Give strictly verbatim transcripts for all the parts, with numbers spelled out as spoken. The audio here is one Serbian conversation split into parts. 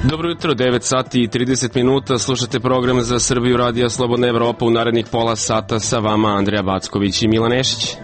Dobro jutro, devet sati i trideset minuta, slušate program za Srbiju Radija Slobodna Evropa. U narednih pola sata sa vama Andreja Backović i Milan Nešić.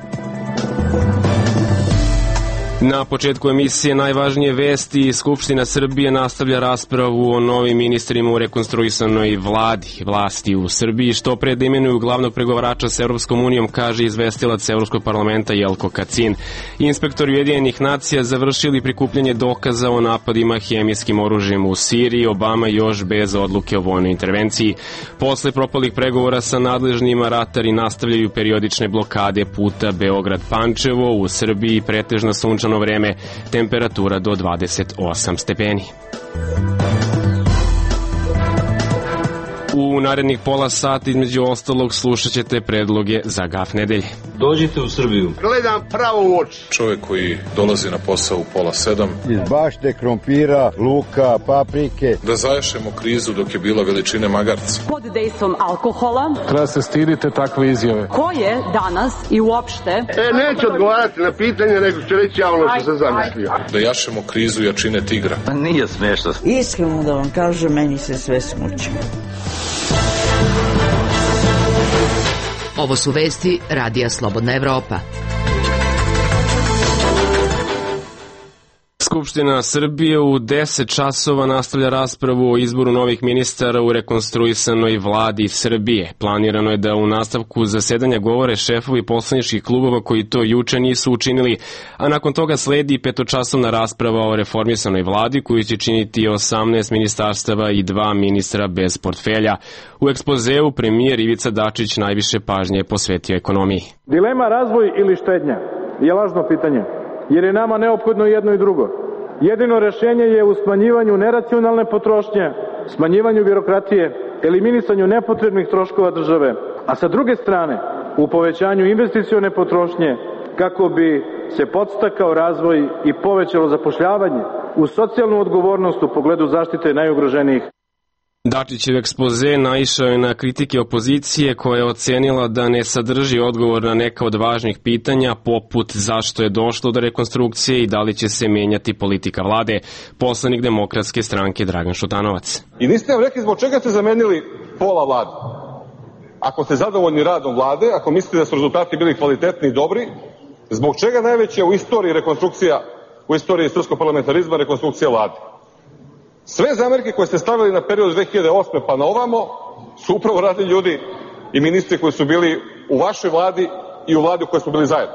Na početku emisije najvažnije vesti. Skupština Srbije nastavlja raspravu o novim ministrima u rekonstruisanoj vladi. Vlasti u Srbiji što pre da imenuju glavnog pregovarača s Evropskom unijom, kaže izvestilac Evropskog parlamenta Jelko Kacin. Inspektori Ujedinjenih nacija završili prikupljanje dokaza o napadima hemijskim oružjem u Siriji, Obama još bez odluke o vojnoj intervenciji. Posle propalih pregovora sa nadležnima, ratari nastavljaju periodične blokade puta Beograd-Pančevo. U Srbiji pretežna sunčana vreme, temperatura do dvadeset osam stepeni. U narednih pola sata između ostalog slušat ćete predloge za gaf nedelje. Dođite u Srbiju. Gledam pravo u oči. Čovjek koji dolazi na posao u pola sedam. Iz bašte, krompira, luka, paprike. Da zaješemo krizu dok je bila veličine magarca. Pod dejstvom alkohola. Treba se stidite takve izjave. Ko je danas i uopšte? E, neću odgovarati na pitanje, nego ću reći ja ono što sam zamislio. Da jašemo krizu jačine tigra. Pa nije smiješno. Iskreno da vam kažem, meni se sve smuči. Ovo su vesti Radija Slobodna Evropa. Skupština Srbije u deset časova nastavlja raspravu o izboru novih ministara u rekonstruisanoj vladi Srbije. Planirano je da u nastavku zasedanja govore šefovi poslaničkih klubova koji to juče nisu učinili, a nakon toga sledi petočasovna rasprava o reformisanoj vladi koju će činiti osamnaest ministarstava i dva ministra bez portfelja. U ekspozeu premijer Ivica Dačić najviše pažnje posvetio ekonomiji. Dilema razvoj ili štednja je lažno pitanje, jer je nama neophodno jedno i drugo. Jedino rešenje je u smanjivanju neracionalne potrošnje, smanjivanju birokratije, eliminisanju nepotrebnih troškova države, a sa druge strane u povećanju investicione potrošnje kako bi se podstakao razvoj i povećalo zapošljavanje uz socijalnu odgovornost u pogledu zaštite najugroženijih. Dačićev ekspoze naišao je na kritike opozicije koja je ocenila da ne sadrži odgovor na neka od važnih pitanja poput zašto je došlo do rekonstrukcije i da li će se menjati politika vlade. Poslanik Demokratske stranke Dragan Šutanovac. I niste nam rekli zbog čega ste zamenili pola vlade. Ako ste zadovoljni radom vlade, ako mislite da su rezultati bili kvalitetni i dobri, zbog čega najveća u istoriji rekonstrukcija, u istoriji srpskog parlamentarizma rekonstrukcija vlade? Sve zamerke koje ste stavili na period dve hiljade osme pa na ovamo su upravo radili ljudi i ministri koji su bili u vašoj vladi i u vladi u kojoj smo bili zajedno.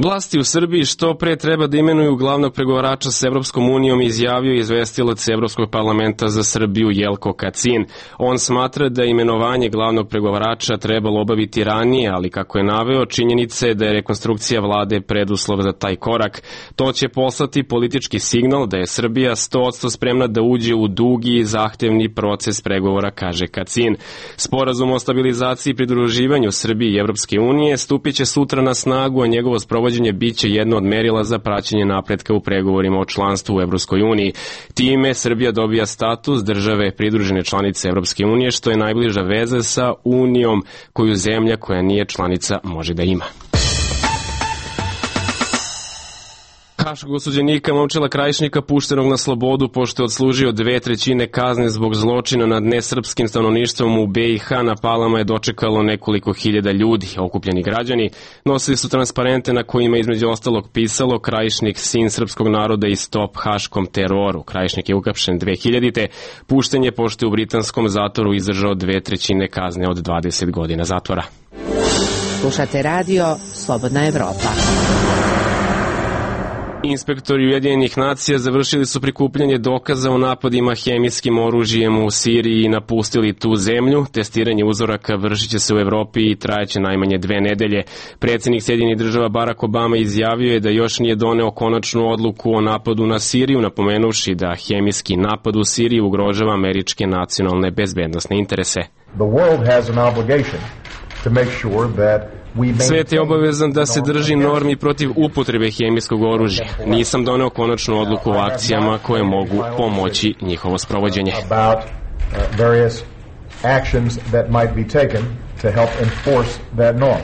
Vlasti u Srbiji što pre treba da imenuju glavnog pregovarača s Evropskom unijom, izjavio izvestilac Evropskog parlamenta za Srbiju Jelko Kacin. On smatra da imenovanje glavnog pregovarača trebalo obaviti ranije, ali kako je naveo, činjenica je da je rekonstrukcija vlade preduslov za taj korak. To će poslati politički signal da je Srbija sto posto spremna da uđe u dugi i zahtevni proces pregovora, kaže Kacin. Sporazum o stabilizaciji i pridruživanju Srbije i Evropske unije stupit će sutra na snagu, a njegovo sprovođenje biće jedno od merila za praćenje napretka u pregovorima o članstvu u Evropskoj uniji. Time Srbija dobija status države pridružene članice Evropske unije, što je najbliža veza sa Unijom koju zemlja koja nije članica može da ima. Haškog osuđenika Momčila Krajišnika puštenog na slobodu pošto je odslužio dve trećine kazne zbog zločina nad nesrpskim stanovništvom u be i ha na Palama je dočekalo nekoliko hiljada ljudi. Okupljeni građani nosili su transparente na kojima između ostalog pisalo Krajišnik, sin srpskog naroda i stop haškom teroru. Krajišnik je uhapšen dve hiljadite. Pušten je pošto je u britanskom zatvoru izdržao dve trećine kazne od dvadeset godina zatvora. Slušate radio Slobodna Evropa. Inspektori Ujedinjenih nacija završili su prikupljanje dokaza o napadima hemijskim oružjem u Siriji i napustili tu zemlju. Testiranje uzoraka vršit će se u Evropi i trajaće najmanje dve nedelje. Predsjednik Sjedinjenih država Barack Obama izjavio je da još nije doneo konačnu odluku o napadu na Siriju, napomenuvši da hemijski napad u Siriji ugrožava američke nacionalne bezbednosne interese. The world has an obligation to make sure that Svet je obavezan da se drži normi protiv upotrebe hemijskog oružja. Nisam doneo konačnu odluku o akcijama koje mogu pomoći njihovo sprovođenje. actions that might be taken to help enforce that norm.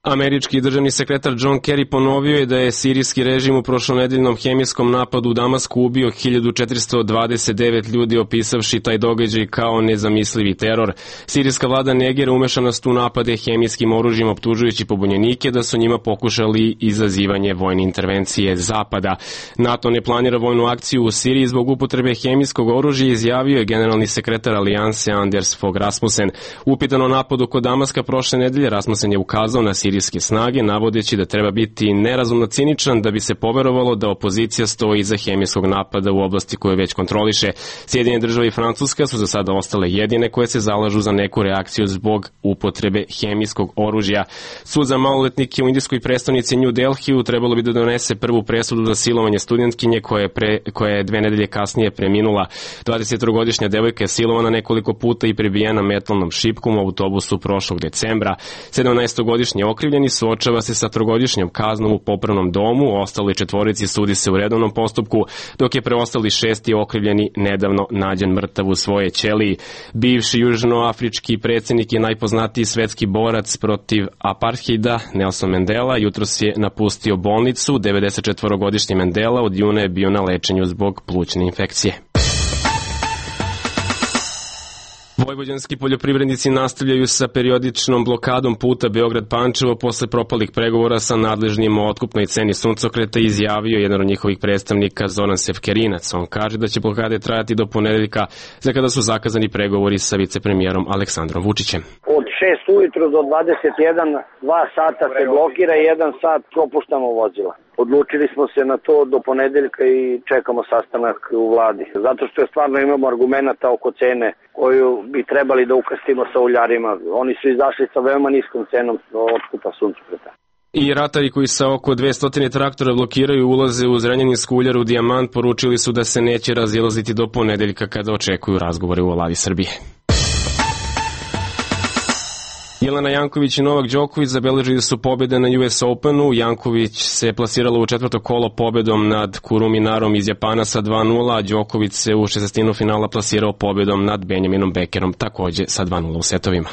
Američki državni sekretar John Kerry ponovio je da je sirijski režim u prošlonedeljnom hemijskom napadu u Damasku ubio hiljadu četiristo dvadeset devet ljudi, opisavši taj događaj kao nezamislivi teror. Sirijska vlada negira umešanost u napade hemijskim oružjem, optužujući pobunjenike da su njima pokušali izazivanje vojne intervencije Zapada. NATO ne planira vojnu akciju u Siriji zbog upotrebe hemijskog oružja, izjavio je generalni sekretar Alijanse Anders Fogh Rasmussen. Upitan o napadu kod Damaska prošle nedelje, Rasmussen je ukazao na sirijske snage, navodeći da treba biti nerazumno ciničan da bi se poverovalo da opozicija stoji iza hemijskog napada u oblasti koju već kontroliše. Sjedinjene države i Francuska su za sada ostale jedine koje se zalažu za neku reakciju zbog upotrebe hemijskog oružja. Sud za maloletnike u indijskoj prestonici New Delhiju trebalo bi da donese prvu presudu za silovanje studentkinje koja je, pre, koja je dve nedelje kasnije preminula. dvadesettrogodišnja devojka je silovana nekoliko puta i prebijena metalnom šipkom u autobusu prošlog decembra. sedamnaestogodišnji okrivljeni suočava se sa trogodišnjom kaznom u popravnom domu, ostali četvorici sudi se u redovnom postupku, dok je preostali šesti okrivljeni nedavno nađen mrtav u svoje ćeliji. Bivši južnoafrički predsjednik i najpoznatiji svetski borac protiv apartheida Nelson Mandela jutros je napustio bolnicu. devedesetčetvorogodišnji Mandela od juna je bio na lečenju zbog plućne infekcije. Vojvođanski poljoprivrednici nastavljaju sa periodičnom blokadom puta Beograd-Pančevo posle propalih pregovora sa nadležnim o otkupnoj ceni suncokreta, izjavio jedan od njihovih predstavnika Zoran Sefkerinac. On kaže da će blokade trajati do ponedeljka, za kada su zakazani pregovori sa vicepremijerom Aleksandrom Vučićem. Od šest ujutru do dvadeset jedan, dva sata se blokira i jedan sat propuštamo vozila. Odlučili smo se na to do ponedeljka i čekamo sastanak u vladi. Zato što je stvarno imamo argumenta oko cene koju bi trebali da ukrstimo sa uljarima. Oni su izašli sa veoma niskom cenom otkupa suncokreta. I ratari koji sa oko dvesta traktora blokiraju ulaze u Zrenjaninsku uljaru Dijamant poručili su da se neće razilaziti do ponedeljka kada očekuju razgovore u Vladi Srbije. Jelena Janković i Novak Đoković zabeležili su pobjede na U S Openu. Janković se plasirala u četvrto kolo pobjedom nad Kuruminarom iz Japana sa dva nula, a Đoković se u šestestinu finala plasirao pobjedom nad Benjaminom Bekerom takođe sa dva nula u setovima.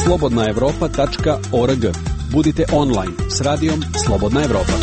slobodna evropa tačka org. Budite online s radijom Slobodna Evropa.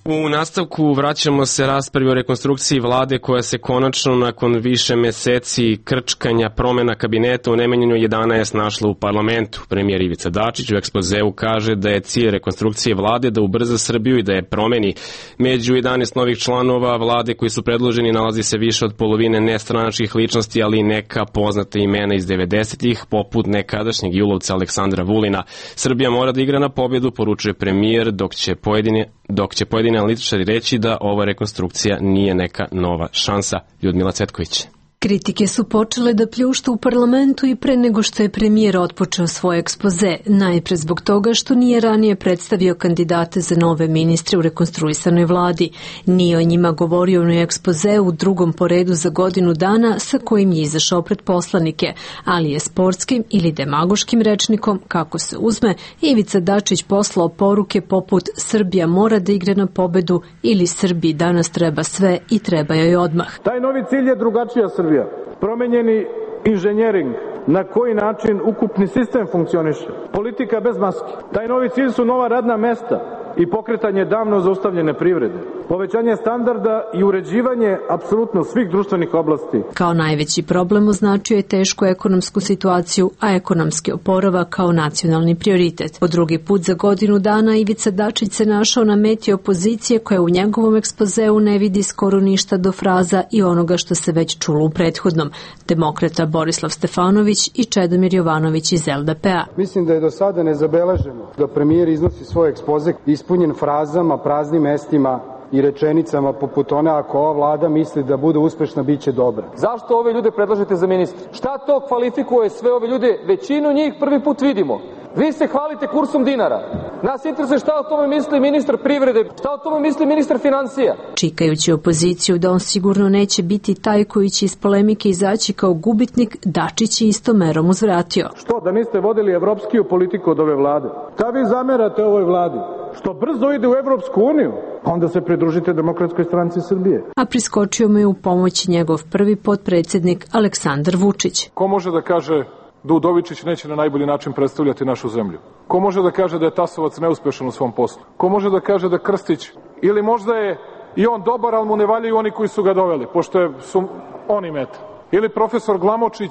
U nastavku vraćamo se raspravi o rekonstrukciji vlade koja se konačno nakon više meseci krčkanja promena kabineta u nemenjenju jedanaest našla u parlamentu. Premijer Ivica Dačić u ekspozeu kaže da je cilj rekonstrukcije vlade da ubrza Srbiju i da je promeni. Među jedanaest novih članova vlade koji su predloženi nalazi se više od polovine nestranačkih ličnosti, ali i neka poznata imena iz devedesetih, poput nekadašnjeg julovca Aleksandra Vulina. Srbija mora da igra na pobjedu, poručuje premijer, dok će pojedine dok će pojedini analitičari reći da ova rekonstrukcija nije neka nova šansa. Ljudmila Cvetković. Kritike su počele da pljuštu u parlamentu i pre nego što je premijer otpočeo svoj ekspoze, najpre zbog toga što nije ranije predstavio kandidate za nove ministre u rekonstruisanoj vladi. Nije o njima govorio u ekspozeu u drugom poredu za godinu dana sa kojim je izašao pred poslanike, ali je sportskim ili demagoškim rečnikom, kako se uzme, Ivica Dačić poslao poruke poput Srbija mora da igra na pobedu ili Srbiji danas treba sve i treba joj odmah. Taj novi cilj je drugačija Srbija. Promenjeni inženjering, na koji način ukupni sistem funkcioniše, politika bez maski. Taj novi cilj su nova radna mesta i pokretanje davno zaustavljene privrede, povećanje standarda i uređivanje apsolutno svih društvenih oblasti. Kao najveći problem označio je tešku ekonomsku situaciju, a ekonomski oporavak kao nacionalni prioritet. Po drugi put za godinu dana Ivica Dačić se našao na meti opozicije koja u njegovom ekspozeu ne vidi skoro ništa do fraza i onoga što se već čulo u prethodnom. Demokrata Borislav Stefanović i Čedomir Jovanović iz L D P-a. Mislim da je do sada nezabeleženo da premijer iznosi svoj ekspoze ispunjen frazama, praznim mestima i rečenicama poput one ako ova vlada misli da bude uspešna, bit će dobra. Zašto ove ljude predlažete za ministre? Šta to kvalifikuje sve ove ljude? Većinu njih prvi put vidimo. Vi se hvalite kursom dinara. Nas interesuje šta o tome misli ministar privrede, šta o tome misli ministar financija. Čikajući opoziciju da on sigurno neće biti taj koji će iz polemike izaći kao gubitnik, Dačić je istom merom uzvratio. Što, da niste vodili evropskiju politiku od ove vlade? Šta vi zamerate ovoj vladi? Što brzo ide u Evropsku uniju? Onda se pridružite Demokratskoj stranci Srbije. A priskočio mu je u pomoć njegov prvi potpredsjednik Aleksandar Vučić. Ko može da kaže da Udovičić neće na najbolji način predstavljati našu zemlju? Ko može da kaže da je Tasovac neuspešan u svom poslu? Ko može da kaže da Krstić, ili možda je i on dobar, ali mu ne valjaju oni koji su ga doveli, pošto je, su oni meta? Ili profesor Glamočić?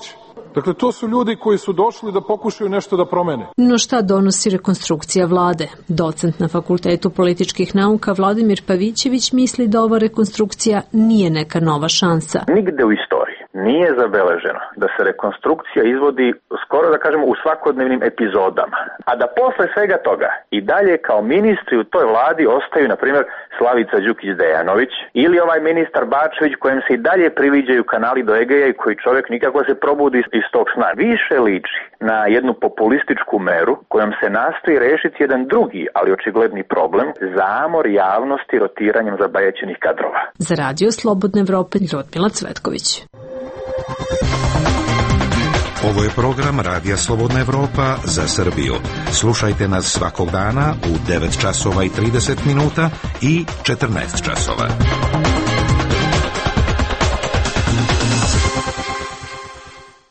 Dakle, to su ljudi koji su došli da pokušaju nešto da promene. No šta donosi rekonstrukcija vlade? Docent na Fakultetu političkih nauka Vladimir Pavićević misli da ova rekonstrukcija nije neka nova šansa. Nigde u istoriji nije zabeleženo da se rekonstrukcija izvodi skoro da kažemo u svakodnevnim epizodama, a da posle svega toga i dalje kao ministri u toj vladi ostaju, na primjer, Slavica Đukić-Dejanović ili ovaj ministar Bačević kojem se i dalje priviđaju kanali do Egeja i koji čovjek nikako se probudi iz tog sna. Više liči na jednu populističku meru kojom se nastoji rešiti jedan drugi, ali očigledni problem, zamor javnosti rotiranjem zabajećenih kadrova. Za Radio Slobodne Evrope, Ljudmila Cvetković. Ovo je program Radija Slobodna Evropa za Srbiju. Slušajte nas svakog dana u devet časova i trideset minuta i četrnaest časova.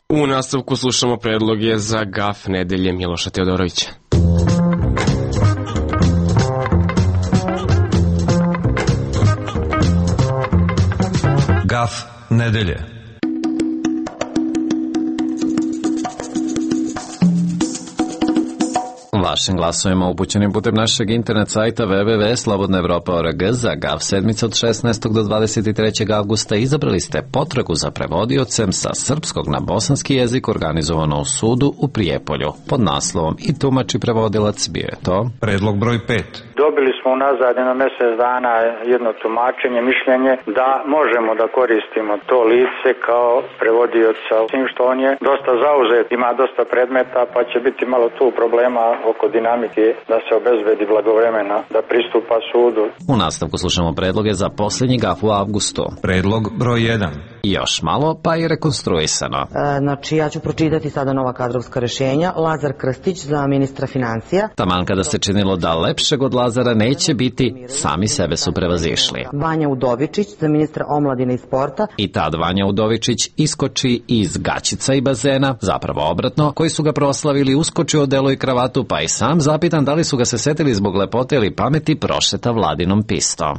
U nastavku slušamo predloge za gaf nedelje Miloša Teodorovića. Gaf nedelje. Vašim glasovima upućenim putem našeg internet sajta w w w tačka slobodna evropa tačka org za Gav sedmice od šesnaestog do dvadeset trećeg avgusta izabrali ste potragu za prevodiocem sa srpskog na bosanski jezik organizovano u sudu u Prijepolju pod naslovom I tumači prevodilac. Bio je to predlog broj pet. Dobili smo unazad jedno mjesec dana jedno tumačenje, mišljenje da možemo da koristimo to lice kao prevodioca, s tim što on je dosta zauzet, ima dosta predmeta, pa će biti malo tu problema oko dinamike da se obezbedi blagovremena da pristupa sudu. U nastavku slušamo predloge za posljednji gaf u avgustu. Predlog broj jedan. Još malo, pa je rekonstruisano. E, znači, ja ću pročitati sada nova kadrovska rešenja. Lazar Krstić za ministra financija. Taman kada se činilo da lepšeg od Lazara neće biti, sami sebe su prevazišli. Vanja Udovičić za ministra omladine i sporta. I tad Vanja Udovičić iskoči iz gaćica i bazena, zapravo obratno, koji su ga proslavili, uskoči odelo i kravatu, pa i sam zapitan da li su ga se setili zbog lepote ili pameti, prošeta vladinom pistom.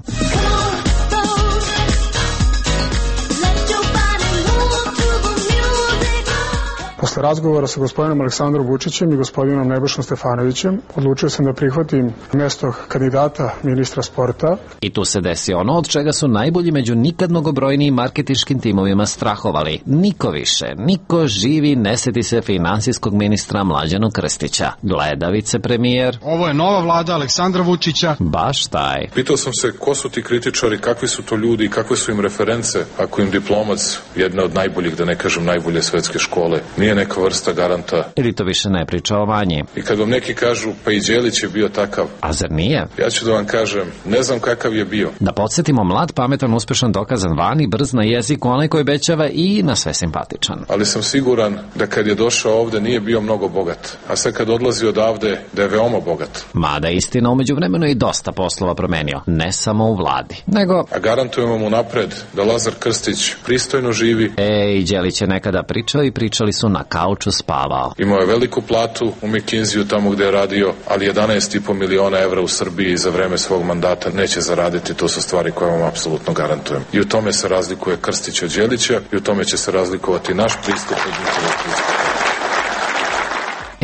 Posle razgovora sa gospodinom Aleksandrom Vučićem i gospodinom Nebojšom Stefanovićem odlučio sam da prihvatim mesto kandidata ministra sporta. I tu se desi ono od čega su najbolji među nikad mnogobrojnijim marketinškim timovima strahovali. Niko više, niko živi ne seti se finansijskog ministra Mlađanu Krstića. Gleda vicepremijer. Ovo je nova vlada Aleksandra Vučića. Baš taj. Pitao sam se ko su ti kritičari, kakvi su to ljudi i kakve su im reference ako im diplomac jedne od najboljih, da ne kažem najbolje svetske škole, nije neka vrsta garanta. Ili to više ne priča o Vanji. I kad vam neki kažu pa i Đelić je bio takav. A zar nije? Ja ću da vam kažem, ne znam kakav je bio. Da podsjetimo, mlad, pametan, uspešan, dokazan Vani, brz na jeziku, onaj koji obećava i na sve simpatičan. Ali sam siguran da kad je došao ovde nije bio mnogo bogat. A sad kad odlazi odavde da je veoma bogat. Mada istina, umeđu vremenu i dosta poslova promenio. Ne samo u vladi. Nego... A garantujemo mu napred da Lazar Krstić pristojno živi. E, i Đelić je nekada pričao i pričali su na kauču spavao. Imao je veliku platu u McKinsey-u tamo gde je radio, ali jedanaest i po miliona evra u Srbiji za vreme svog mandata neće zaraditi. To su stvari koje vam apsolutno garantujem. I u tome se razlikuje Krstić od Đelića i u tome će se razlikovati naš pristup od njihovog pristupa.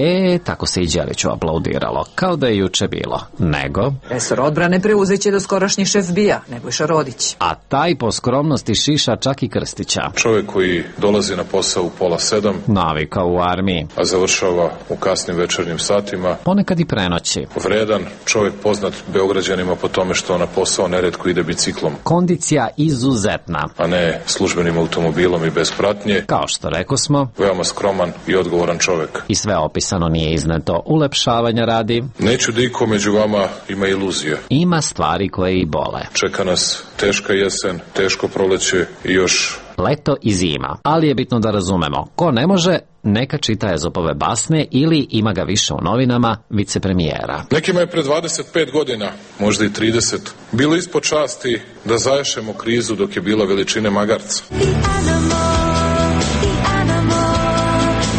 E, tako se i Đeliću aplaudiralo, kao da je juče bilo. Nego... Resor odbrane preuzeće do skorašnji šef B I A, Nebojša Rodić. A taj po skromnosti šiša čak i Krstića. Čovjek koji dolazi na posao u pola sedam, navikao u armiji, a završava u kasnim večernjim satima, ponekad i prenoći. Vredan, čovjek poznat Beograđanima po tome što na posao neretko ide biciklom. Kondicija izuzetna, a ne službenim automobilom i bez pratnje. Kao što rekao smo, veoma skroman i odgovoran čovjek. I sve opis nije izneto, ulepšavanja radi. Neću da iko među vama ima iluzije. Ima stvari koje i bole. Čeka nas teška jesen, teško proleće i još leto i zima. Ali je bitno da razumemo, ko ne može, neka čita Ezopove basne ili ima ga više u novinama vicepremijera. Nekima je pre dvadeset pet godina, možda i trideset, bilo ispod časti da zaješemo krizu dok je bila veličine magarca. The animal, the animal,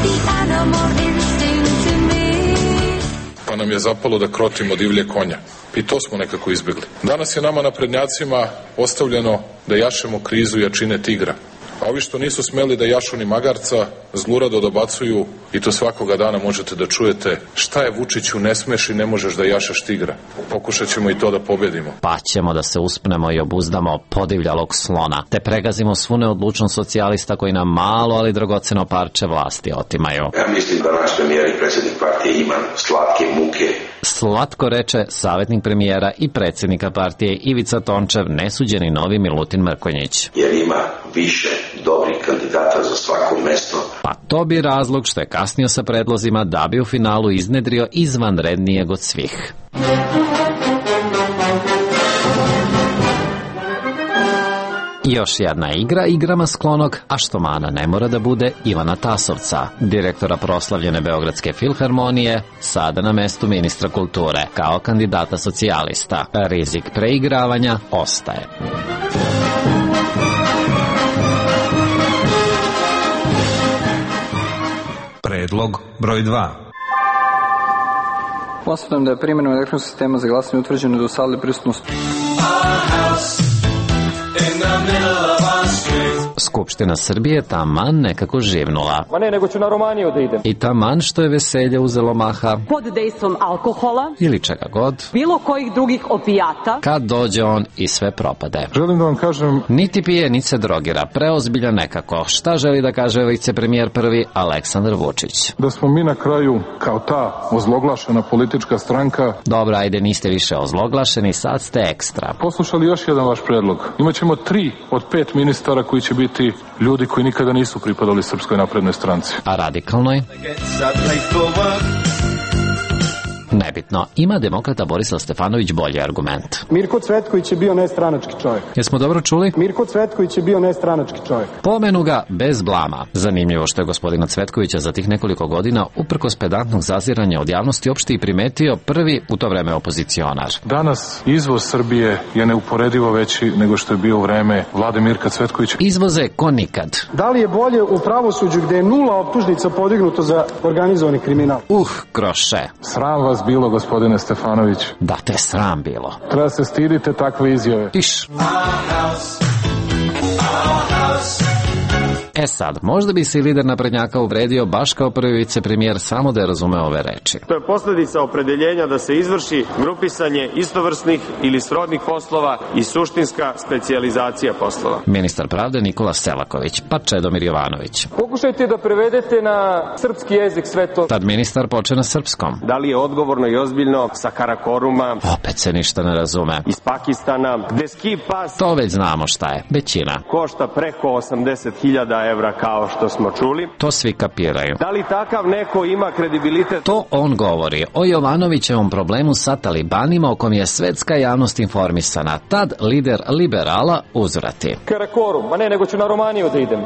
the animal. nam je zapalo da krotimo divlje konja. I to smo nekako izbjegli. Danas je nama naprednjacima ostavljeno da jašemo krizu jačine tigra. A ovi što nisu smeli da jašu ni magarca, zlurado dobacuju i to svakoga dana možete da čujete šta je Vučiću ne smeš i ne možeš da jašeš tigra. Pokušat ćemo i to da pobedimo. Pa ćemo da se uspnemo i obuzdamo podivljalog slona, te pregazimo svu neodlučnost socijalista koji nam malo, ali dragoceno parče vlasti otimaju. Ja mislim da naš premijer i predsjednik partije ima slatke muke. Slatko reče savjetnik premijera i predsjednika partije Ivica Tončev, nesuđeni novi Milutin Mrkonjić. Jer ima više dobrih kandidata za svako mesto. Pa to bi razlog što je kasnio sa predlozima da bi u finalu iznedrio izvanrednijeg od svih. Još jedna igra igrama sklonog, a što mana ne mora da bude Ivana Tasovca, direktora proslavljene Beogradske filharmonije, sada na mestu ministra kulture, kao kandidata socijalista. Rizik preigravanja ostaje. Predlog broj dva. Konstatujem da je primjenom elektronskog sistema za glasanje utvrđeno da u sali prisutnost Skupština Srbije taman nekako živnula. Ma ne, nego ću na Romaniju da idem. I taman što je veselje uzelo maha. Pod dejstvom alkohola. Ili čega god. Bilo kojih drugih opijata. Kad dođe on i sve propade. Želim da vam kažem... Niti pije, niti se drogira. Preozbilja nekako. Šta želi da kaže vicepremijer prvi Aleksandar Vučić? Da smo mi na kraju, kao ta ozloglašena politička stranka... Dobro, ajde, niste više ozloglašeni, sad ste ekstra. Poslušali još jedan vaš predlog. Imaćemo tri od pet ministara koji će biti ljudi koji nikada nisu pripadali Srpskoj naprednoj stranci. A radikalnoj? Nebitno. Ima demokrata Borislav Stefanović bolji argument. Mirko Cvetković je bio nestranački čovjek. Jesmo dobro čuli? Mirko Cvetković je bio nestranački čovjek. Pomenu ga bez blama. Zanimljivo što je gospodina Cvetkovića za tih nekoliko godina, uprkos pedantnog zaziranja od javnosti, uopšte i primetio prvi u to vreme opozicionar. Danas izvoz Srbije je neuporedivo veći nego što je bio u vreme vlade Mirka Cvetkovića. Izvoze ko nikad. Da li je bolje u pravosuđu gde je nula optužnica podignuto za organizovani kriminal? Uh, kroše. Sram vas bilo, gospodine Stefanović. Da te sram bilo. Treba se stidite takve izjave. Iš. E sad, možda bi se i lider naprednjaka uvredio baš kao prvi vicepremijer samo da je razumeo ove reči. To je posljedica opredeljenja da se izvrši grupisanje istovrsnih ili srodnih poslova i suštinska specijalizacija poslova. Ministar pravde Nikola Selaković, pa Čedomir Jovanović. Pokušajte da prevedete na srpski jezik sve to. Tad ministar poče na srpskom. Da li je odgovorno i ozbiljno sa Karakoruma? Opet se ništa ne razume. Iz Pakistana, gde ski pas... To već znamo šta je, većina. Košta preko osamdeset hiljada evra kao što smo čuli. To svi kapiraju. Da li takav neko ima kredibilitet? To on govori o Jovanovićevom problemu sa talibanima o kom je svetska javnost informisana. Tad lider liberala uzvrati. Karakorum, ma ne, nego ću na Romaniju da idem.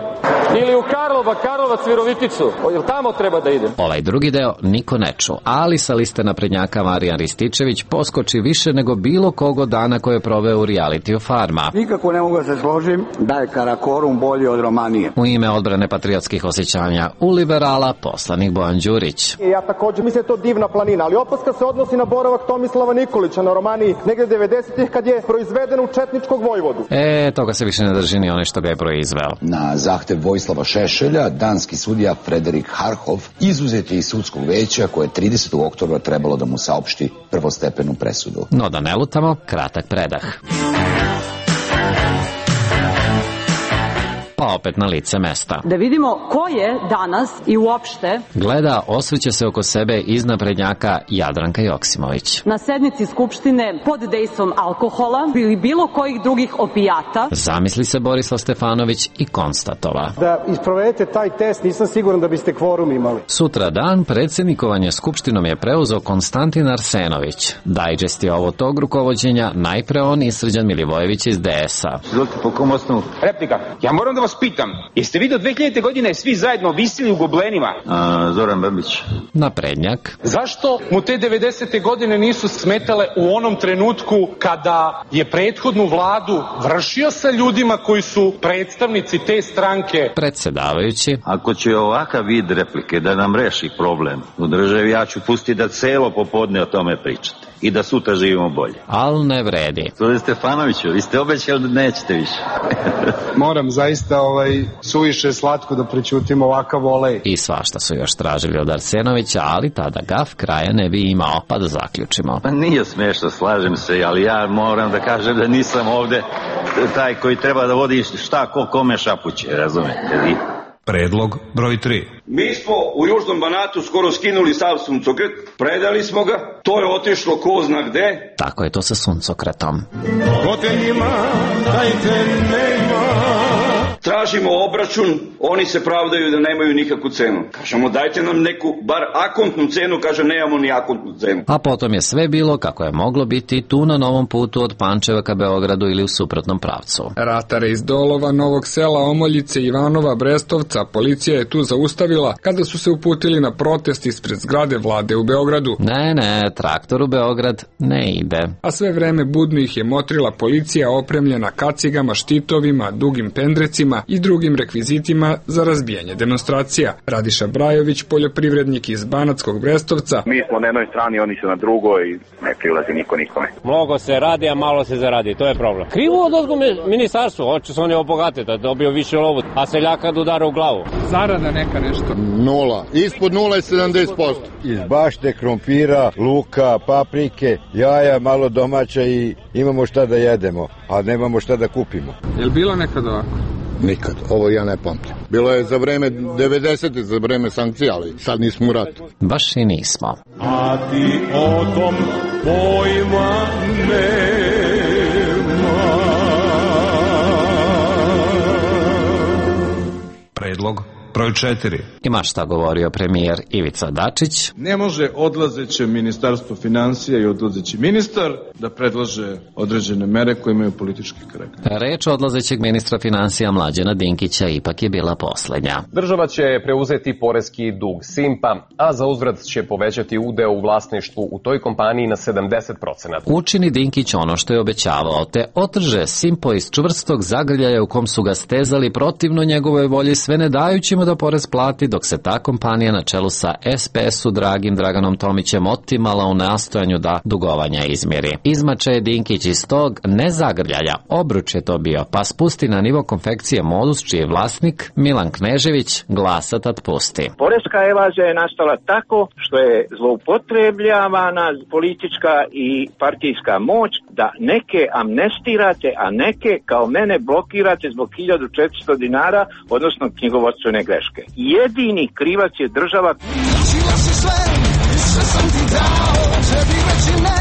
Ili u Karlova, Karlovac, Viroviticu. Jel tamo treba da idem? Ovaj drugi deo niko ne ču, ali sa liste naprednjaka Marijan Rističević poskoči više nego bilo kogo dana koje je proveo u realitiju Farma. Nikako ne mogu da se složim da je Karakorum bolji od Romanije. U ime odbrane patriotskih osjećanja u liberala poslanik Bojan Đurić. Ja također mislim da je to divna planina, ali opaska se odnosi na boravak Tomislava Nikolića na Romaniji negde devedesetih kad je proizveden u četničkog vojvodu. E, toga se više ne drži ni onaj što ga je proizveo. Na zahtev Vojislava Šešelja, danski sudija Frederik Harhov izuzet je iz sudskog veća koje je tridesetog oktobra trebalo da mu saopšti prvostepenu presudu. No da ne lutamo, kratak predah. Pa opet na lice mesta. Da vidimo ko je danas i uopšte gleda, osvrće se oko sebe iz naprednjaka Jadranka Joksimović. Na sednici Skupštine pod dejstvom alkohola ili bilo kojih drugih opijata. Zamisli se Borislav Stefanović i konstatova. Da isprovedete taj test, nisam siguran da biste kvorum imali. Sutra dan predsjednikovanje Skupštinom je preuzeo Konstantin Arsenović. Dajđest je ovo tog rukovođenja, najpre on i Srđan Milivojević iz D S-a. Izvolite, po kom osnovu? Replika. Ja moram da vas vas pitam, jeste vi do dve hiljadite. godine svi zajedno visili u goblenima? A, Zoran Babić. Naprednjak. Zašto mu te devedesete. godine nisu smetale u onom trenutku kada je prethodnu vladu vršio sa ljudima koji su predstavnici te stranke? Predsedavajući. Ako će ovakav vid replike da nam reši problem u državi, ja ću pustiti da celo popodne o tome pričate i da sutra živimo bolje. Al ne vredi. Gospodine Stefanoviću, vi ste obećali da nećete više. Moram zaista ovaj, suviše slatko da prećutim ovakav volej. I svašta su još tražili od Arsenovića, ali tada gaf kraja ne bi imao. Pa da zaključimo. Pa nije smešno, slažem se, ali ja moram da kažem da nisam ovde taj koji treba da vodi šta ko kome šapuće, razumete vi? Predlog broj tri. Mi smo u Južnom Banatu skoro skinuli sav suncokret, predali smo ga, to je otišlo ko zna gde. Tako je to sa suncokretom. Hoteljima dajte nema. Tražimo obračun, oni se pravdaju da nemaju nikakvu cenu. Kažemo dajte nam neku, bar akontnu cenu, kaže nemamo ni akontnu cenu. A potom je sve bilo kako je moglo biti tu na novom putu od Pančeva ka Beogradu ili u suprotnom pravcu. Ratare iz Dolova, Novog Sela, Omoljice, Ivanova, Brestovca, policija je tu zaustavila kada su se uputili na protest ispred zgrade vlade u Beogradu. Ne, ne, traktor u Beograd ne ide. A sve vreme budno ih je motrila policija opremljena kacigama, štitovima, dugim pendrecima i drugim rekvizitima za razbijanje demonstracija. Radiša Brajović, poljoprivrednik iz Banatskog Brestovca. Mi smo na jednoj strani, oni su na drugoj i ne prilazi niko nikome. Mnogo se radi, a malo se zaradi, to je problem. Krivo od odgo ministarstvo, hoće se oni obogate da dobio više lovu, a seljaka da udara u glavu. Zarada neka nešto. Nula. Ispod nula je sedamdeset posto. Iz bašte, krompira, luka, paprike, jaja, malo domaća i imamo šta da jedemo, a nemamo šta da kupimo. Je li bilo nekad ovako? Nikad, ovo ja ne pamtim. Bilo je za vreme devedesetih, za vreme sankcija, ali sad nismo u ratu. Baš i nismo. A ti o tom pojma nema. Predlog broj četiri. Ima šta govorio premijer Ivica Dačić. Ne može odlazeće ministarstvo finansija i odlazeći ministar da predlaže određene mere koje imaju politički karakter. Reč odlazećeg ministra finansija Mlađana Dinkića ipak je bila poslednja. Država će preuzeti poreski dug Simpa, a za uzvrat će povećati udeo u vlasništvu u toj kompaniji na sedamdeset procenata. Učini Dinkić ono što je obećavao, te otrže Simpo iz čvrstog zagrljaja u kom su ga stezali protivno njegove volji, sve ne dajući mu da porez plati, dok se ta kompanija na čelu sa es pe es-u dragim Draganom Tomićem otimala u nastojanju da dugovanja izmiri. Izmače je Dinkić iz tog nezagrljaja, obruč je to bio, pa spusti na nivo konfekcije Modus, čiji je vlasnik Milan Knežević, glasa tad pusti. Poreska evazija je nastala tako što je zloupotrebljavana politička i partijska moć da neke amnestirate, a neke kao mene blokirate zbog hiljadu četiristo dinara, odnosno knjigovodstvene greške. Jedini krivac je država. Tražila si sve, sve sam ti dao, tebi reći ne,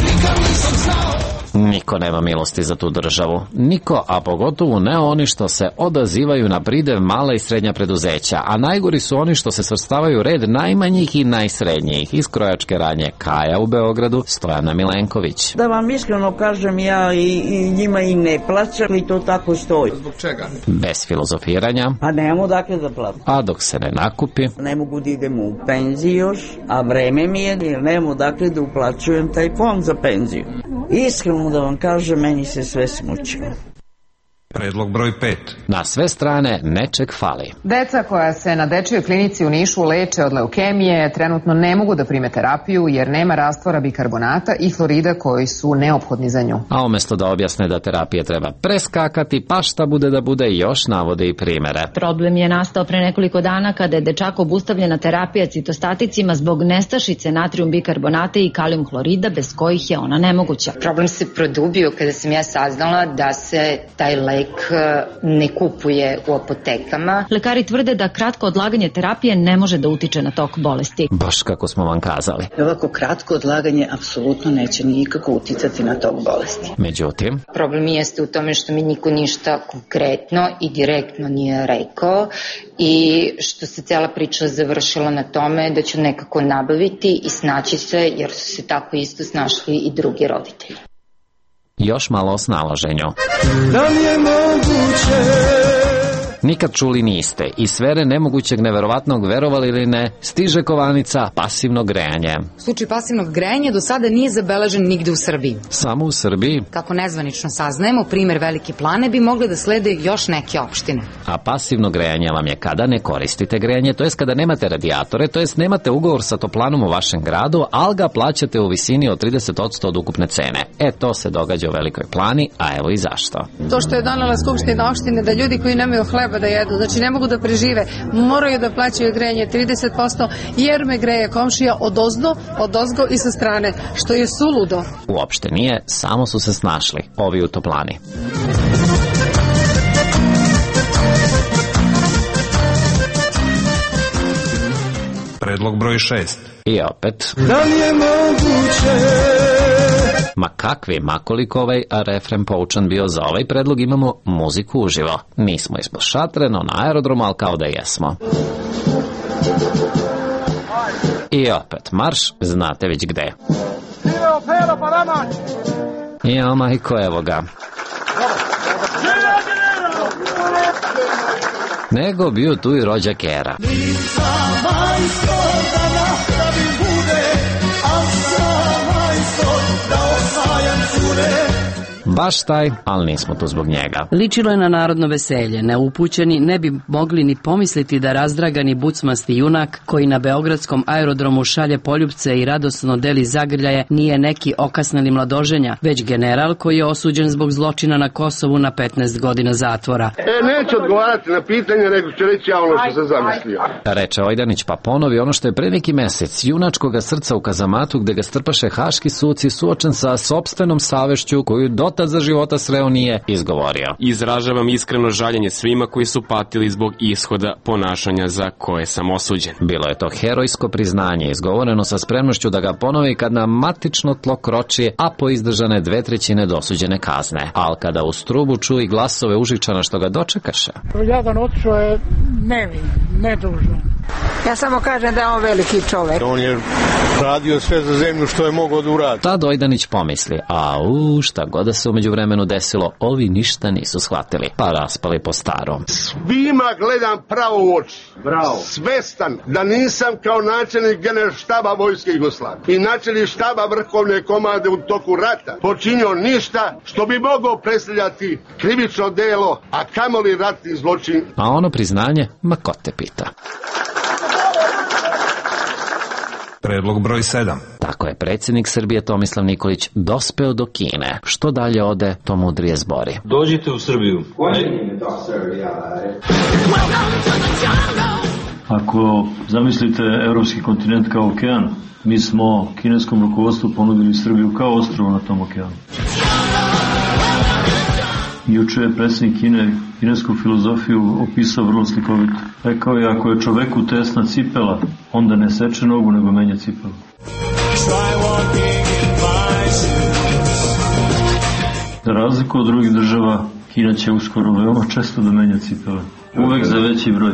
nikad nisam znao. Niko nema milosti za tu državu. Niko, a pogotovo ne oni što se odazivaju na pridev mala i srednja preduzeća, a najgori su oni što se svrstavaju u red najmanjih i najsrednjih. Iz krojačke radnje Kaja u Beogradu, Stojana Milenković. Da vam iskreno kažem, ja i, i njima i ne plaćam i to tako stoji. Zbog čega? Bez filozofiranja. Pa nemamo dakle da plaćam. A dok se ne nakupi. Ne mogu da idem u penziju još, a vreme mi je jer nemamo dakle da uplaćujem taj fond za penziju. Iskreno da vam kažem, meni se sve smučilo. Predlog broj pet. Na sve strane nečeg fali. Deca koja se na dečijoj klinici u Nišu leče od leukemije trenutno ne mogu da prime terapiju jer nema rastvora bikarbonata i hlorida koji su neophodni za nju. A umesto da objasne da terapije treba preskakati, pa šta bude da bude, još navode i primere. Problem je nastao pre nekoliko dana kada je dečako obustavljena terapija citostaticima zbog nestašice natrijum bikarbonata i kalijum hlorida bez kojih je ona nemoguća. Problem se produbio kada sam ja saznala da se taj lek ne kupuje u apotekama. Lekari tvrde da kratko odlaganje terapije ne može da utiče na tok bolesti. Baš kako smo vam kazali. Ovako kratko odlaganje apsolutno neće nikako uticati na tok bolesti. Međutim, problem jeste u tome što mi niko ništa konkretno i direktno nije rekao i što se cela priča završila na tome da ću nekako nabaviti i snaći se, jer su se tako isto snašli i drugi roditelji. Još malo o snalaženju. Da li je moguće Nikad čuli niste. Iz sfere nemogućeg, neverovatnog, verovali ili ne, stiže kovanica pasivno grejanje. Slučaj pasivnog grejanja do sada nije zabeležen nigde u Srbiji. Samo u Srbiji? Kako nezvanično saznajemo, primer Velike Plane bi mogle da slede još neke opštine. A pasivno grejanje vam je kada ne koristite grejanje, to jest kada nemate radijatore, to jest nemate ugovor sa toplanom u vašem gradu, ali ga plaćate u visini od trideset posto od ukupne cene. E, to se događa u Velikoj Plani, a evo i zašto. To što je donela Skupština opštine da ljudi koji nemaju hleba da jedu, znači ne mogu da prežive, moraju da plaćaju grejanje trideset posto jer me greje komšija odozdo, odozgo i sa strane, što je suludo. Uopšte nije, samo su se snašli ovi u Toplani. Predlog broj šest. I opet. Da li je moguće? Ma kakvi, makoliko ovaj refren poučan bio za ovaj predlog, imamo muziku uživo. Nismo ispod šatre, no na aerodromu, ali kao da jesmo. I opet marš, znate već gde. Jo, majko, evo ga. Nego bio tu i rođak Era. Baš taj, ali nismo tu zbog njega. Ličilo je na narodno veselje. Neupućeni ne bi mogli ni pomisliti da razdragani bucmasti junak koji na beogradskom aerodromu šalje poljupce i radosno deli zagrljaje nije neki okasneli mladoženja, već general koji je osuđen zbog zločina na Kosovu na petnaest godina zatvora. E, neću odgovarati na pitanje, nego ću reći ja ono što sam zamislio. Reče Ojdanić, pa ponovi ono što je pre neki mesec junačkoga srca u kazamatu gde ga strpaše haški suci suočen sa sopstvenom savešću koju dotad za života sreo nije izgovorio. Izražavam iskreno žaljenje svima koji su patili zbog ishoda ponašanja za koje sam osuđen. Bilo je to herojsko priznanje, izgovoreno sa spremnošću da ga ponovi kad na matično tlo kroči, a po izdržane dve trećine dosuđene kazne. Al kada u strubu čuje glasove Užičana što ga dočekaše. Jadan otišao je nevin, nedužan. Ja samo kažem da je on veliki čovek. On je radio sve za zemlju što je mogao da uradi. Tad Ojdanić pomisli, a u šta god da se umeđu vremenu desilo, ovi ništa nisu shvatili, pa raspali po starom. Svima gledam pravo u oči. Bravo. Svestan da nisam kao načelnik generalštaba vojske Jugoslavije i načelnik štaba vrhovne komande u toku rata počinio ništa što bi mogao predstavljati krivično delo, a kamoli ratni zločin. A ono priznanje, ma ko te pita. Predlog broj sedam. Tako je predsjednik Srbije Tomislav Nikolić dospeo do Kine. Što dalje ode, to mudrije zbori. Dođite u Srbiju. Ako zamislite evropski kontinent kao okean, mi smo kineskom rukovodstvu ponudili Srbiju kao ostrvo na tom okeanu. Juče je predsjednik Kine kinesku filozofiju opisao vrlo slikovito. Rekao je, ako je čoveku tesna cipela, onda ne seče nogu, nego menja cipelu. Za razliku od drugih država, Kina će uskoro veoma često da menja cipele. Uvek za veći broj.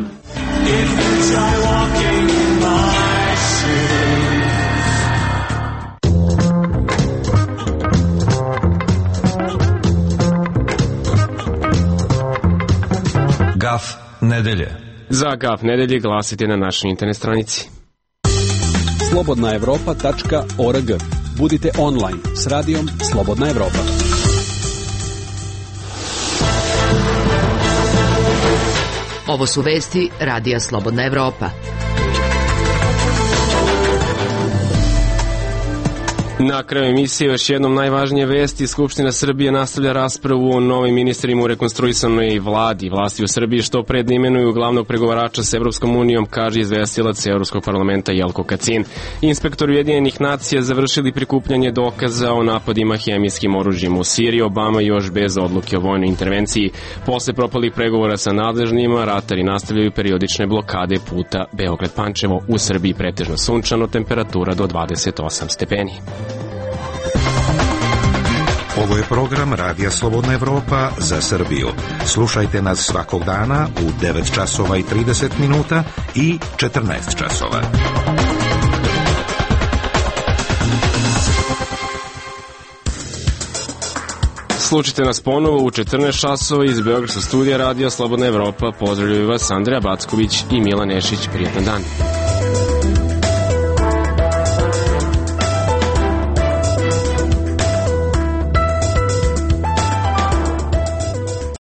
Gaf nedelje. Za Gaf nedelje glasite na našoj internet stranici. slobodna evropa tačka org. Budite online s radijom Slobodna Evropa. Ovo su vesti Radija Slobodna Evropa. Na kraju emisije još jednom najvažnije vesti. Skupština Srbije nastavlja raspravu o novim ministrima u rekonstruisanoj vladi. Vlasti u Srbiji što pred imenuju glavnog pregovarača s Evropskom unijom, kaže izvestilac Evropskog parlamenta Jelko Kacin. Inspektori Ujedinjenih nacija završili prikupljanje dokaza o napadima hemijskim oružjem u Siriji. Obama još bez odluke o vojnoj intervenciji. Posle propalih pregovora sa nadležnima, ratari nastavljaju periodične blokade puta Beograd-Pančevo. U Srbiji pretežno sunčano, temperatura do dvadeset osam stepeni. Ovo je program Radija Slobodna Evropa za Srbiju. Slušajte nas svakog dana u devet časova i trideset minuta i četrnaest časova. Slučajte nas ponovo u četrnaest časova iz Beogradskog studija Radija Slobodna Evropa. Pozdravljaju vas Andreja Backović i Milan Nešić. Prijetan dan.